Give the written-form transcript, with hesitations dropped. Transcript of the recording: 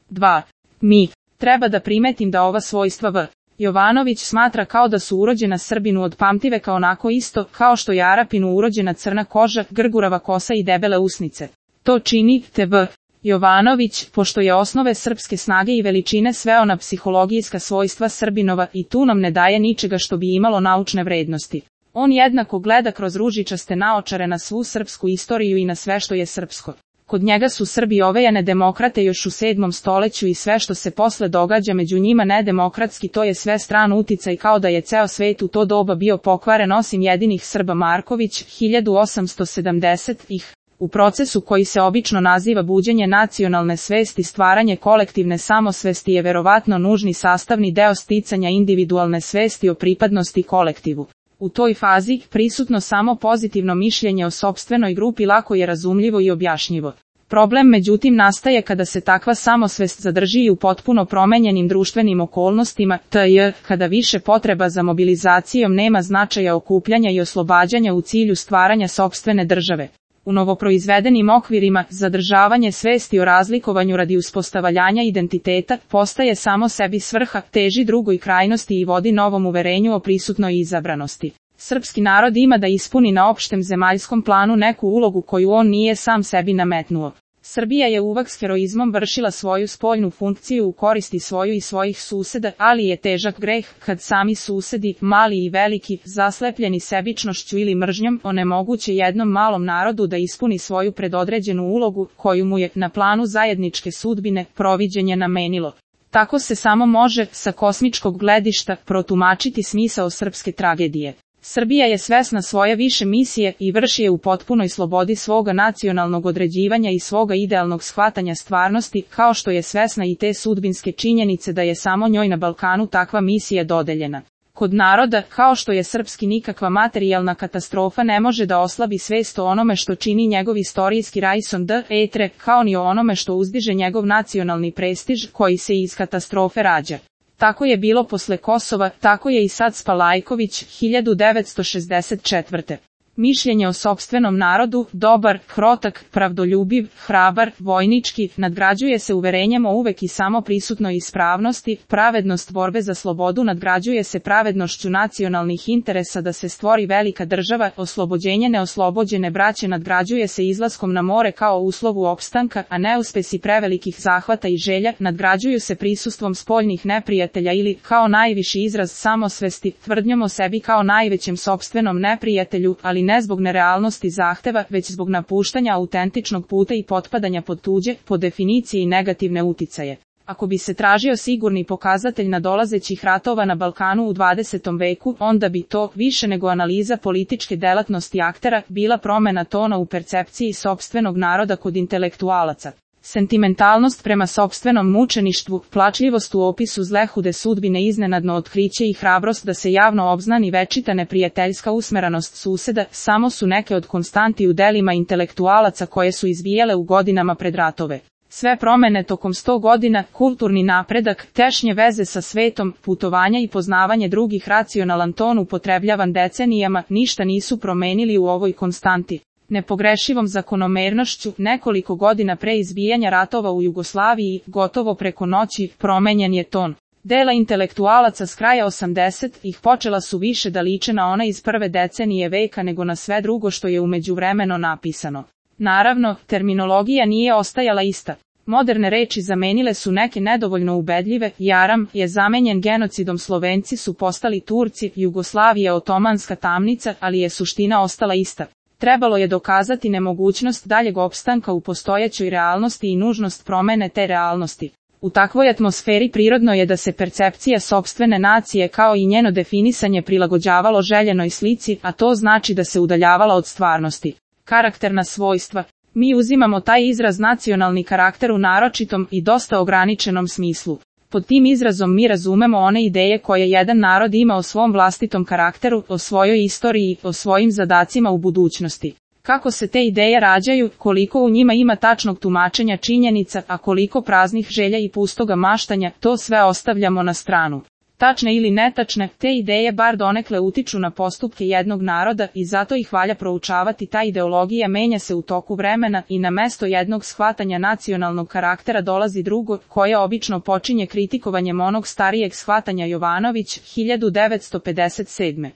2. Mi. Treba da primetim da ova svojstva V. Jovanović smatra kao da su urođena Srbinu od pamtiveka onako isto, kao što je Arapinu urođena crna koža, grgurava kosa i debele usnice. To čini T.V. Jovanović, pošto je osnove srpske snage i veličine sveo na psihologijska svojstva Srbinova i tu nam ne daje ničega što bi imalo naučne vrednosti. On jednako gleda kroz ružičaste naočare na svu srpsku istoriju i na sve što je srpsko. Kod njega su Srbi ovejane demokrate još u 7. stoleću i sve što se posle događa među njima nedemokratski, to je sve stran uticaj, kao da je ceo svet u to doba bio pokvaren osim jedinih Srba. Marković, 1870-ih. U procesu koji se obično naziva buđenje nacionalne svesti, stvaranje kolektivne samosvesti je verovatno nužni sastavni deo sticanja individualne svesti o pripadnosti kolektivu. U toj fazi, prisutno samo pozitivno mišljenje o sopstvenoj grupi lako je razumljivo i objašnjivo. Problem međutim nastaje kada se takva samosvest zadrži i u potpuno promenjenim društvenim okolnostima, t.j. kada više potreba za mobilizacijom nema značaja okupljanja i oslobađanja u cilju stvaranja sopstvene države. U novoproizvedenim okvirima, zadržavanje svesti o razlikovanju radi uspostavljanja identiteta postaje samo sebi svrha, teži drugoj krajnosti i vodi novom uverenju o prisutnoj izabranosti. Srpski narod ima da ispuni na opštem zemaljskom planu neku ulogu koju on nije sam sebi nametnuo. Srbija je uvek s heroizmom vršila svoju spoljnu funkciju u koristi svoju i svojih suseda, ali je težak greh kad sami susedi, mali i veliki, zaslepljeni sebičnošću ili mržnjom, onemoguće jednom malom narodu da ispuni svoju predodređenu ulogu, koju mu je, na planu zajedničke sudbine, proviđenje namenilo. Tako se samo može, sa kosmičkog gledišta, protumačiti smisao srpske tragedije. Srbija je svesna svoje više misije i vrši je u potpunoj slobodi svoga nacionalnog određivanja i svoga idealnog shvatanja stvarnosti, kao što je svesna i te sudbinske činjenice da je samo njoj na Balkanu takva misija dodeljena. Kod naroda, kao što je srpski, nikakva materijalna katastrofa ne može da oslabi svest o onome što čini njegov istorijski raison d'etre, kao ni o onome što uzdiže njegov nacionalni prestiž, koji se iz katastrofe rađa. Tako je bilo posle Kosova, tako je i sad s Palajković, 1964. Mišljenje o sopstvenom narodu, dobar, krotak, pravdoljubiv, hrabar, vojnički, nadgrađuje se uverenjem o uvek i samo prisutnoj ispravnosti, pravednost borbe za slobodu nadgrađuje se pravednošću nacionalnih interesa da se stvori velika država, oslobođenje neoslobođene braće nadgrađuje se izlaskom na more kao uslovu opstanka, a neuspesi prevelikih zahvata i želja nadgrađuju se prisustvom spoljnih neprijatelja ili, kao najviši izraz samosvesti, tvrdnjom o sebi kao najvećem sopstvenom neprijatelju, ali ne zbog nerealnosti zahteva, već zbog napuštanja autentičnog puta i potpadanja pod tuđe, po definiciji negativne uticaje. Ako bi se tražio sigurni pokazatelj nadolazećih ratova na Balkanu u 20. veku, onda bi to, više nego analiza političke delatnosti aktera, bila promena tona u percepciji sopstvenog naroda kod intelektualaca. Sentimentalnost prema sopstvenom mučeništvu, plačljivost u opisu zlehude sudbine, iznenadno otkriće i hrabrost da se javno obznani večita neprijateljska usmeranost suseda, samo su neke od konstanti u delima intelektualaca koje su izvijele u godinama pred ratove. Sve promene tokom 100 godina, kulturni napredak, tešnje veze sa svetom, putovanja i poznavanje drugih, racionalan ton upotrebljavan decenijama, ništa nisu promenili u ovoj konstanti. Nepogrešivom zakonomernošću, nekoliko godina pre izbijanja ratova u Jugoslaviji, gotovo preko noći, promenjen je ton. Dela intelektualaca s kraja 80-ih počela su više da liče na ona iz prve decenije veka nego na sve drugo što je u međuvremeno napisano. Naravno, terminologija nije ostajala ista. Moderne reči zamenile su neke nedovoljno ubedljive, jaram je zamenjen genocidom, Slovenci su postali Turci, Jugoslavija otomanska tamnica, ali je suština ostala ista. Trebalo je dokazati nemogućnost daljeg opstanka u postojećoj realnosti i nužnost promene te realnosti. U takvoj atmosferi prirodno je da se percepcija sopstvene nacije kao i njeno definisanje prilagođavalo željenoj slici, a to znači da se udaljavala od stvarnosti. Karakterna svojstva. Mi uzimamo taj izraz nacionalni karakter u naročitom i dosta ograničenom smislu. Pod tim izrazom mi razumemo one ideje koje jedan narod ima o svom vlastitom karakteru, o svojoj istoriji, o svojim zadacima u budućnosti. Kako se te ideje rađaju, koliko u njima ima tačnog tumačenja činjenica, a koliko praznih želja i pustoga maštanja, to sve ostavljamo na stranu. Tačne ili netačne, te ideje bar donekle utiču na postupke jednog naroda i zato ih valja proučavati. Ta ideologija menja se u toku vremena i na mesto jednog shvatanja nacionalnog karaktera dolazi drugo, koje obično počinje kritikovanjem onog starijeg shvatanja. Jovanović, 1957.